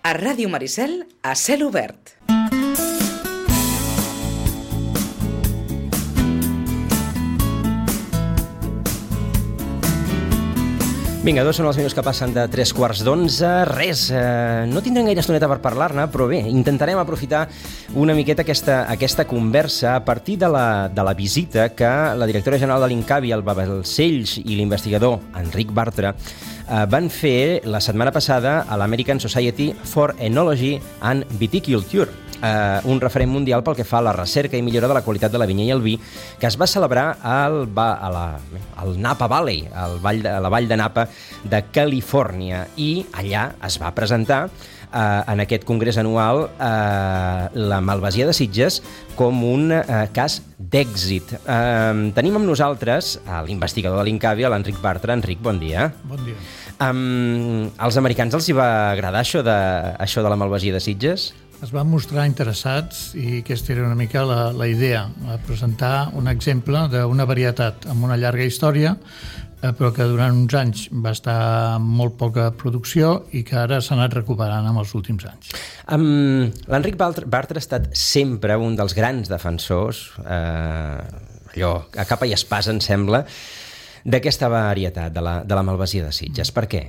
A Ràdio Maricel, a cel obert. Vinga, 2 són els minuts que passen de 3:15. Res, no tindrem gaire estoneta per parlar-ne, però bé, intentarem aprofitar una miqueta aquesta conversa a partir de la visita que la directora general de l'INCAVI, el Balcells, i l'investigador Enric Bartra van fer la setmana passada a l'American Society for Enology and Viticulture, un referent mundial pel que fa a la recerca i millora de la qualitat de la vinya i el vi, que es va celebrar al Napa Valley, a la vall de Napa de Califòrnia, i allà es va presentar en aquest congrés anual la malvasia de Sitges com un cas d'èxit. Tenim amb nosaltres l'investigador de l'INCAVI, l'Enric Bartra. Enric, bon dia. Bon dia. Als americans els hi va agradar això de la malvasia de Sitges? Es van mostrar interessats i aquesta era una mica la idea, presentar un exemple d'una varietat amb una llarga història, però que durant uns anys va estar amb molt poca producció i que ara s'ha anat recuperant amb els últims anys. L'Enric Bartra ha estat sempre un dels grans defensors, allò a capa i espasa, em sembla, d'aquesta varietat, de la malvasia de Sitges. Per què?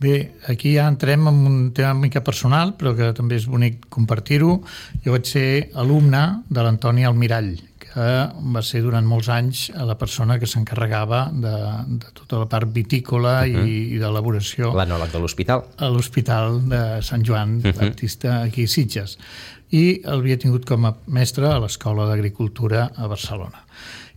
Bé, aquí ja entrem en un tema una mica personal, però que també és bonic compartir-ho. Jo vaig ser alumne de l'Antoni Almirall, que va ser durant molts anys la persona que s'encarregava de tota la part vitícola i d'elaboració. L'enòleg de l'hospital. A l'Hospital de Sant Joan Baptista, aquí a Sitges. I l'havia tingut com a mestre a l'Escola d'Agricultura a Barcelona.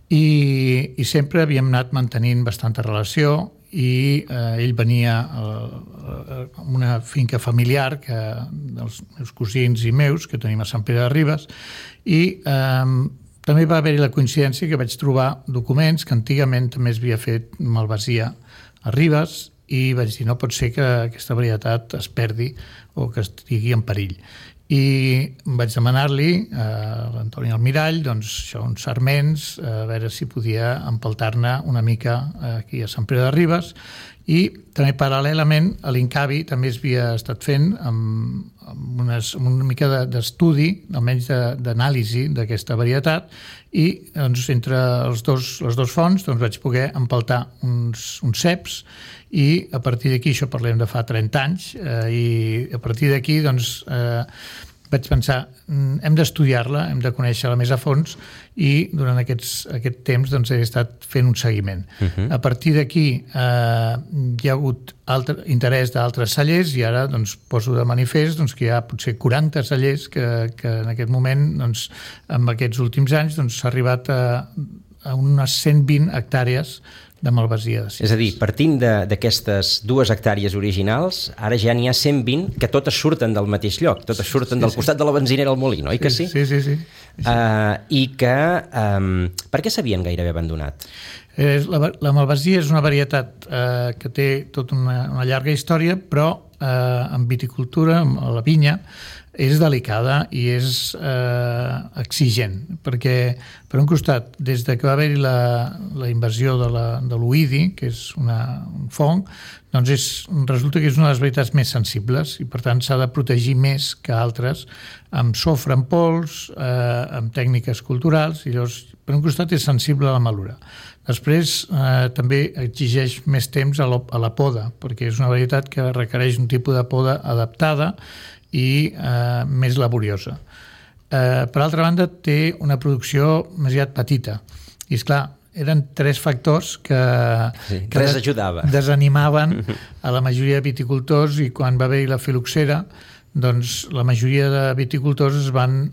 I sempre havíem anat mantenint bastanta relació, i ell venia a una finca familiar dels meus cosins i meus, que tenim a Sant Pere de Ribes, i també va haver-hi la coincidència que vaig trobar documents que antigament també es havia fet malvasia a Ribes, i vaig dir, no pot ser que aquesta varietat es perdi o que estigui en perill. I vaig demanar-li a l'Antoni Almirall uns sarments, a veure si podia empeltar-ne una mica aquí a Sant Pere de Ribes, i també paral·lelament a l'INCAVI també es havia estat fent amb una mica d'estudi, almenys d'anàlisi d'aquesta varietat, i entre les dos fonts vaig poder empeltar uns ceps, i a partir d'aquí, això parlem de fa 30 anys, i a partir d'aquí vaig pensar, hem d'estudiar-la, hem de conèixer-la més a fons, i durant aquest temps he estat fent un seguiment. A partir d'aquí hi ha hagut interès d'altres cellers, i ara poso de manifest que hi ha potser 40 cellers que en aquest moment, en aquests últims anys, s'ha arribat a unes 120 hectàrees de malvasia de Sitges. És a dir, partint d'aquestes 2 hectàrees originals, ara ja n'hi ha 120 que totes surten del mateix lloc, totes surten del costat de la benzinera al molí, oi que sí? Sí. I que... Per què s'havien gairebé abandonat? La malvasia és una varietat que té tota una llarga història, però en viticultura, a la vinya, és delicada i és exigent, perquè per un costat, des que va haver-hi la invasió de l'oïdi, que és un fong, resulta que és una de les varietats més sensibles i per tant s'ha de protegir més que altres amb sofre en pols, amb tècniques culturals, i llavors per un costat és sensible a la malura. Després també exigeix més temps a la poda, perquè és una varietat que requereix un tipus de poda adaptada i més laboriosa. Per altra banda, té una producció més aviat petita. I, esclar, eren 3 factors que desanimaven a la majoria de viticultors, i quan va haver-hi la filoxera, la majoria de viticultors es van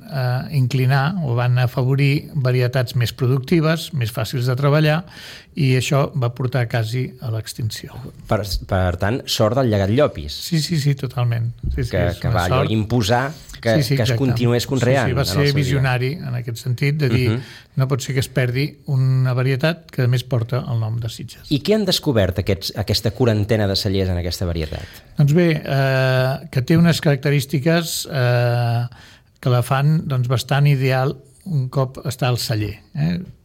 inclinar o van afavorir varietats més productives, més fàcils de treballar, i això va portar quasi a l'extinció. Per tant, sort del llegat Llopis. Sí, totalment. Que va allò imposar que es continués conreant. Sí, va ser visionari en aquest sentit, de dir no pot ser que es perdi una varietat que a més porta el nom de Sitges. I què han descobert aquesta quarantena de cellers en aquesta varietat? Doncs bé, que té unes característiques que la fan bastant ideal un cop està al celler.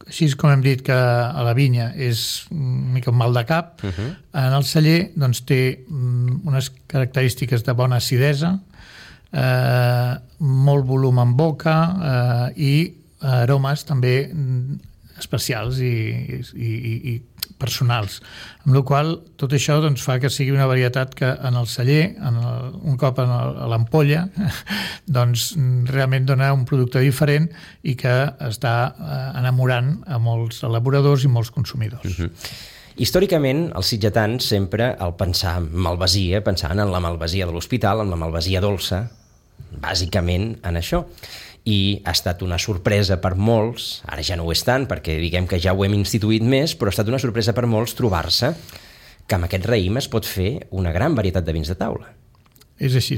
Així com hem dit que a la vinya és una mica un mal de cap, en el celler té unes característiques de bona acidesa, molt volum en boca i aromes també especials i personals, amb la qual tot això doncs, fa que sigui una varietat que en el celler, un cop a l'ampolla, doncs realment dona un producte diferent i que està enamorant a molts elaboradors i molts consumidors. Històricament, els sitgetans sempre, al pensar en malvasia, pensaven en la malvasia de l'hospital, en la malvasia dolça, bàsicament en això. I ha estat una sorpresa per molts, ara ja no ho és tant, perquè diguem que ja ho hem instituït més, però ha estat una sorpresa per molts trobar-se que amb aquest raïm es pot fer una gran varietat de vins de taula. És així.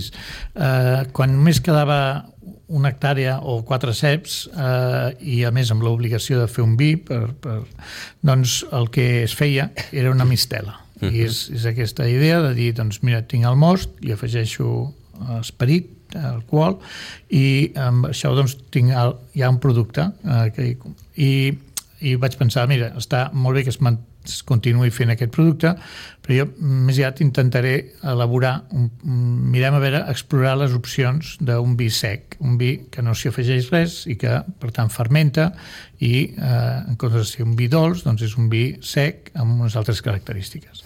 Quan només quedava una hectàrea o 4 ceps i a més amb l'obligació de fer un vi, doncs el que es feia era una mistela. I és aquesta idea de dir, doncs mira, tinc el most, li afegeixo esperit, alcohol, i amb això doncs tinc ja un producte i vaig pensar, mira, està molt bé que es continuï fent aquest producte, però jo més aviat intentaré elaborar, mirem a veure, explorar les opcions d'un vi sec, un vi que no s'hi afegeix res i que, per tant, fermenta i, en comptes de ser un vi dolç, doncs és un vi sec amb unes altres característiques.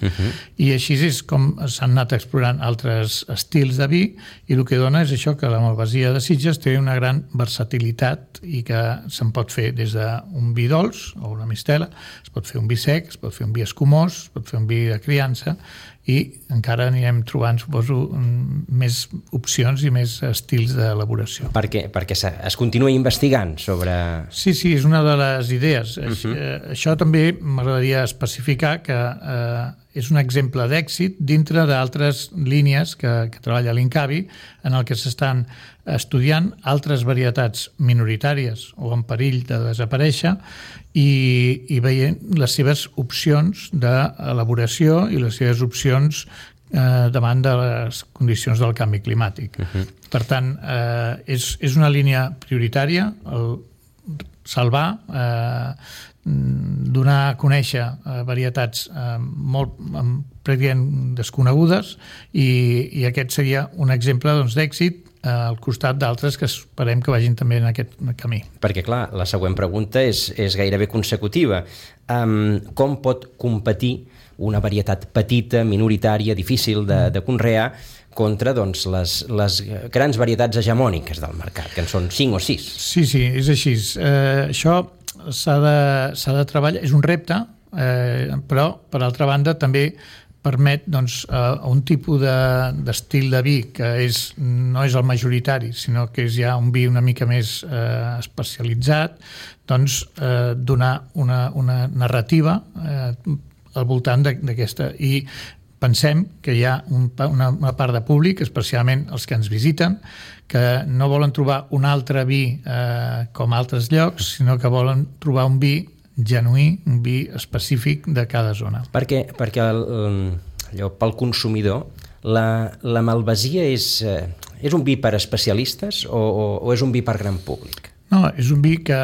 I així és com s'han anat explorant altres estils de vi i el que dona és això, que la malvasia de Sitges té una gran versatilitat i que se'n pot fer des d'un vi dolç o una mistela, es pot fer un vi sec, es pot fer un vi escumós, es pot fer un vi de criança i encara anirem trobant, suposo, més opcions i més estils d'elaboració. Perquè es continua investigant sobre... Sí, és una de les idees. Això també m'agradaria especificar que és un exemple d'èxit dintre d'altres línies que treballa l'Incavi, en el que s'estan estudiant altres varietats minoritàries o en perill de desaparèixer i veient les seves opcions d'elaboració i les seves opcions davant de les condicions del canvi climàtic. Per tant, és una línia prioritària, salvar, donar a conèixer varietats molt prèviament desconegudes i aquest seria un exemple d'èxit al costat d'altres que esperem que vagin també en aquest camí. Perquè, clar, la següent pregunta és gairebé consecutiva. Com pot competir una varietat petita, minoritària, difícil de conrear contra les grans varietats hegemòniques del mercat, que en són 5 o 6? Sí, és així. Això s'ha de treballar, és un repte, però, per altra banda, també permet un tipus d'estil de vi que no és el majoritari, sinó que és ja un vi una mica més especialitzat, donar una narrativa al voltant d'aquesta. I pensem que hi ha una part de públic, especialment els que ens visiten, que no volen trobar un altre vi com altres llocs, sinó que volen trobar un vi genuí, un vi específic de cada zona. Perquè pel consumidor la malvasia és un vi per especialistes o és un vi per gran públic? No, és un vi que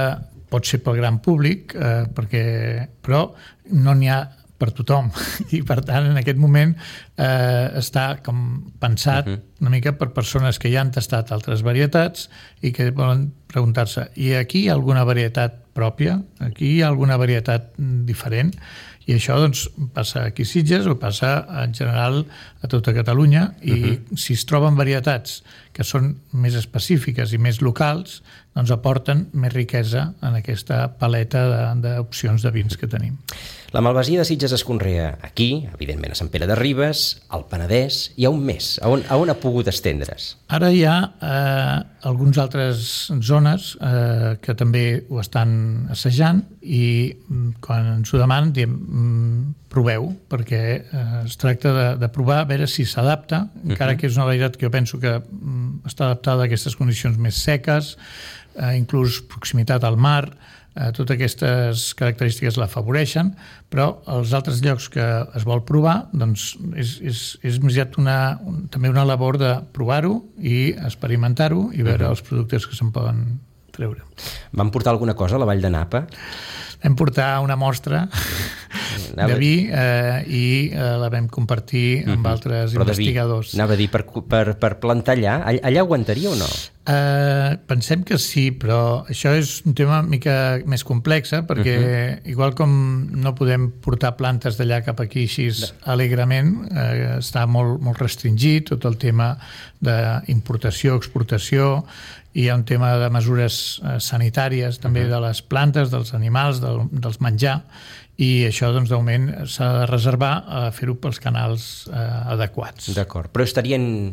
pot ser pel gran públic, però no n'hi ha per tothom i per tant en aquest moment està com pensat una mica per persones que ja han tastat altres varietats i que volen preguntar-se, i aquí hi ha alguna varietat pròpia? Aquí hi ha alguna varietat diferent? I això passa aquí a Sitges o passa en general a tota Catalunya i si es troben varietats que són més específiques i més locals, aporten més riquesa en aquesta paleta d'opcions de vins que tenim. La malvasia de Sitges es conrea aquí, evidentment a Sant Pere de Ribes, al Penedès, i a on més? A on ha pogut estendre's? Ara hi ha algunes altres zones que també ho estan assajant i quan ens ho demanen diem proveu, perquè es tracta de provar a veure si s'adapta, encara que és una varietat que jo penso que està adaptada a aquestes condicions més seques, inclús proximitat al mar, totes aquestes característiques l'afavoreixen, però als altres llocs que es vol provar és més aviat també una labor de provar-ho i experimentar-ho i veure els productes que se'n poden treure. Van portar alguna cosa a la Vall de Napa? Vam portar una mostra de vi i la vam compartir amb altres investigadors. Anava a dir, per plantar allà aguantaria o no? Pensem que sí, però això és un tema una mica més complex, perquè igual com no podem portar plantes d'allà cap aquí així alegrement, està molt restringit tot el tema d'importació, exportació, hi ha un tema de mesures sanitàries també de les plantes, dels animals, dels menjar, i això, doncs, de moment s'ha de reservar a fer-ho pels canals adequats. D'acord, però estarien,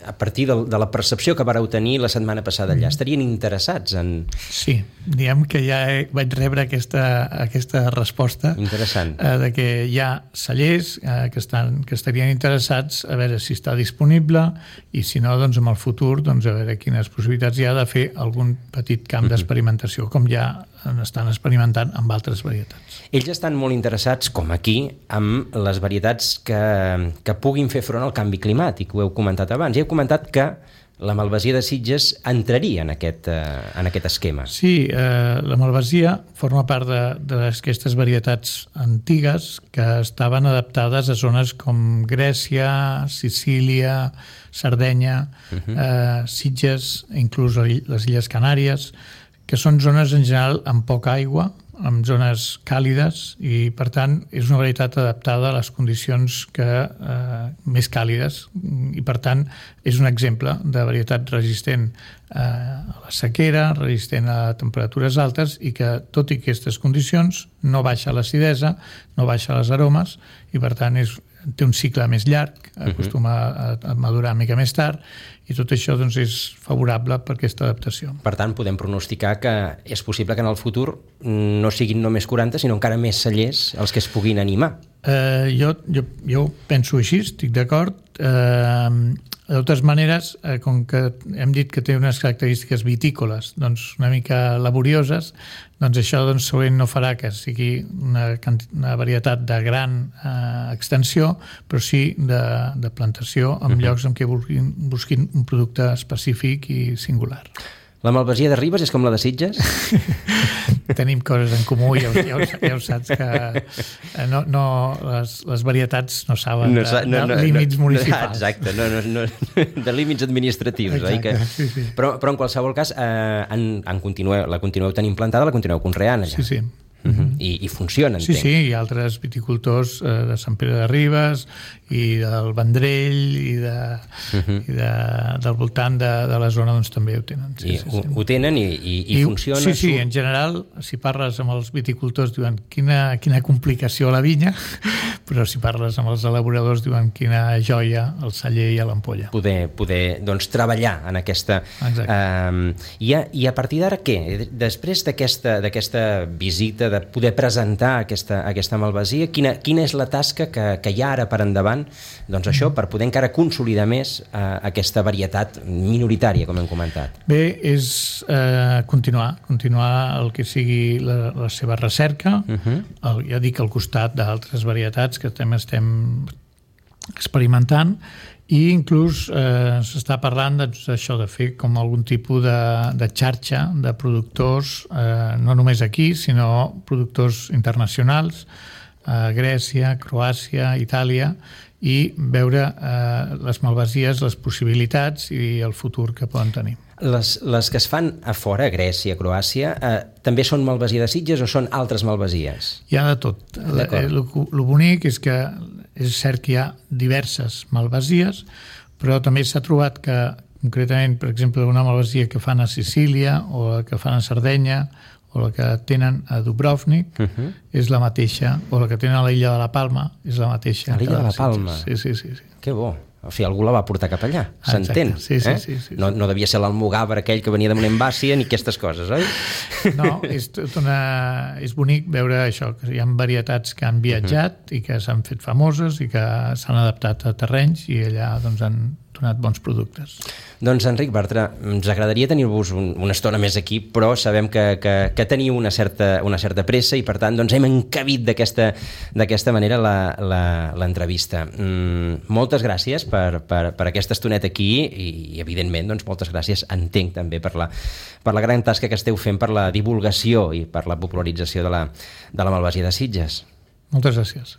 a partir de la percepció que vareu tenir la setmana passada allà, estarien interessats en... Sí, diguem que ja vaig rebre aquesta resposta. Interessant. De que hi ha cellers que estarien interessats a veure si està disponible i si no, doncs, en el futur, doncs, a veure quines possibilitats hi ha de fer algun petit camp d'experimentació, com ja estan experimentant amb altres varietats. Ells estan molt interessats, com aquí, amb les varietats que puguin fer front al canvi climàtic. Ho heu comentat abans. I heu comentat que la malvasia de Sitges entraria en aquest esquema. Sí, la malvasia forma part d'aquestes varietats antigues que estaven adaptades a zones com Grècia, Sicília, Sardenya, Sitges, inclús les Illes Canàries, que són zones en general amb poca aigua, amb zones càlides, i per tant és una varietat adaptada a les condicions més càlides, i per tant és un exemple de varietat resistent a la sequera, resistent a temperatures altes, i que tot i aquestes condicions no baixa l'acidesa, no baixa les aromes, i per tant té un cicle més llarg, acostuma a madurar una mica més tard, i tot això, doncs, és favorable per aquesta adaptació. Per tant, podem pronosticar que és possible que en el futur no siguin només 40, sinó encara més cellers els que es puguin animar. Jo penso així, estic d'acord. De totes maneres, com que hem dit que té unes característiques vitícoles, doncs, una mica laborioses, doncs això, doncs, segurament no farà que sigui una varietat de gran extensió, però sí de plantació en llocs en què busquin un producte específic i singular. La malvasia de Ribes és com la de Sitges? Tenim coses en comú, ja ho saps, que les varietats no saben de límits municipals. Exacte, de límits administratius. Exacte, sí. Però en qualsevol cas, la continueu tenint plantada, la continueu conreant allà. Sí. I funciona, entenc. Sí, hi ha altres viticultors de Sant Pere de Ribes i del Vendrell i del voltant de la zona, doncs, també ho tenen. Ho tenen i funciona? Sí, en general, si parles amb els viticultors diuen quina complicació a la vinya, però si parles amb els elaboradors diuen quina joia el celler i l'ampolla. Poder doncs, treballar en aquesta... I a partir d'ara què? Després d'aquesta visita, de poder presentar aquesta malvasia, quina és la tasca que hi ha ara per endavant, doncs això, per poder encara consolidar més aquesta varietat minoritària, com hem comentat? Bé, és continuar el que sigui la seva recerca, ja dic, al costat d'altres varietats que també estem experimentant, i inclús s'està parlant d'això, de fer com algun tipus de xarxa de productors, no només aquí, sinó productors internacionals, Grècia, Croàcia, Itàlia, i veure les malvasies, les possibilitats i el futur que poden tenir. Les que es fan a fora, Grècia, Croàcia, també són malvasia de Sitges o són altres malvasies? Hi ha de tot. El bonic és que és cert que hi ha diverses malvasies, però també s'ha trobat que, concretament, per exemple, una malvasia que fan a Sicília o la que fan a Sardenya o la que tenen a Dubrovnik és la mateixa, o la que tenen a l'illa de la Palma és la mateixa. A l'illa de la Palma? Sí. Que bo. O sigui, algú la va portar cap allà, s'entén? Sí. No devia ser l'almogàver aquell que venia de Monembàcia ni aquestes coses, oi? No, és bonic veure això, que hi ha varietats que han viatjat i que s'han fet famoses i que s'han adaptat a terrenys i allà, doncs, han donat bons productes. Doncs, Enric Bartra, ens agradaria tenir-vos una estona més aquí, però sabem que teniu una certa pressa i, per tant, doncs, hem encabit d'aquesta manera l'entrevista. Moltes gràcies per aquesta estoneta aquí i evidentment, doncs, moltes gràcies, entenc, també per la gran tasca que esteu fent per la divulgació i per la popularització de la malvasia de Sitges. Moltes gràcies.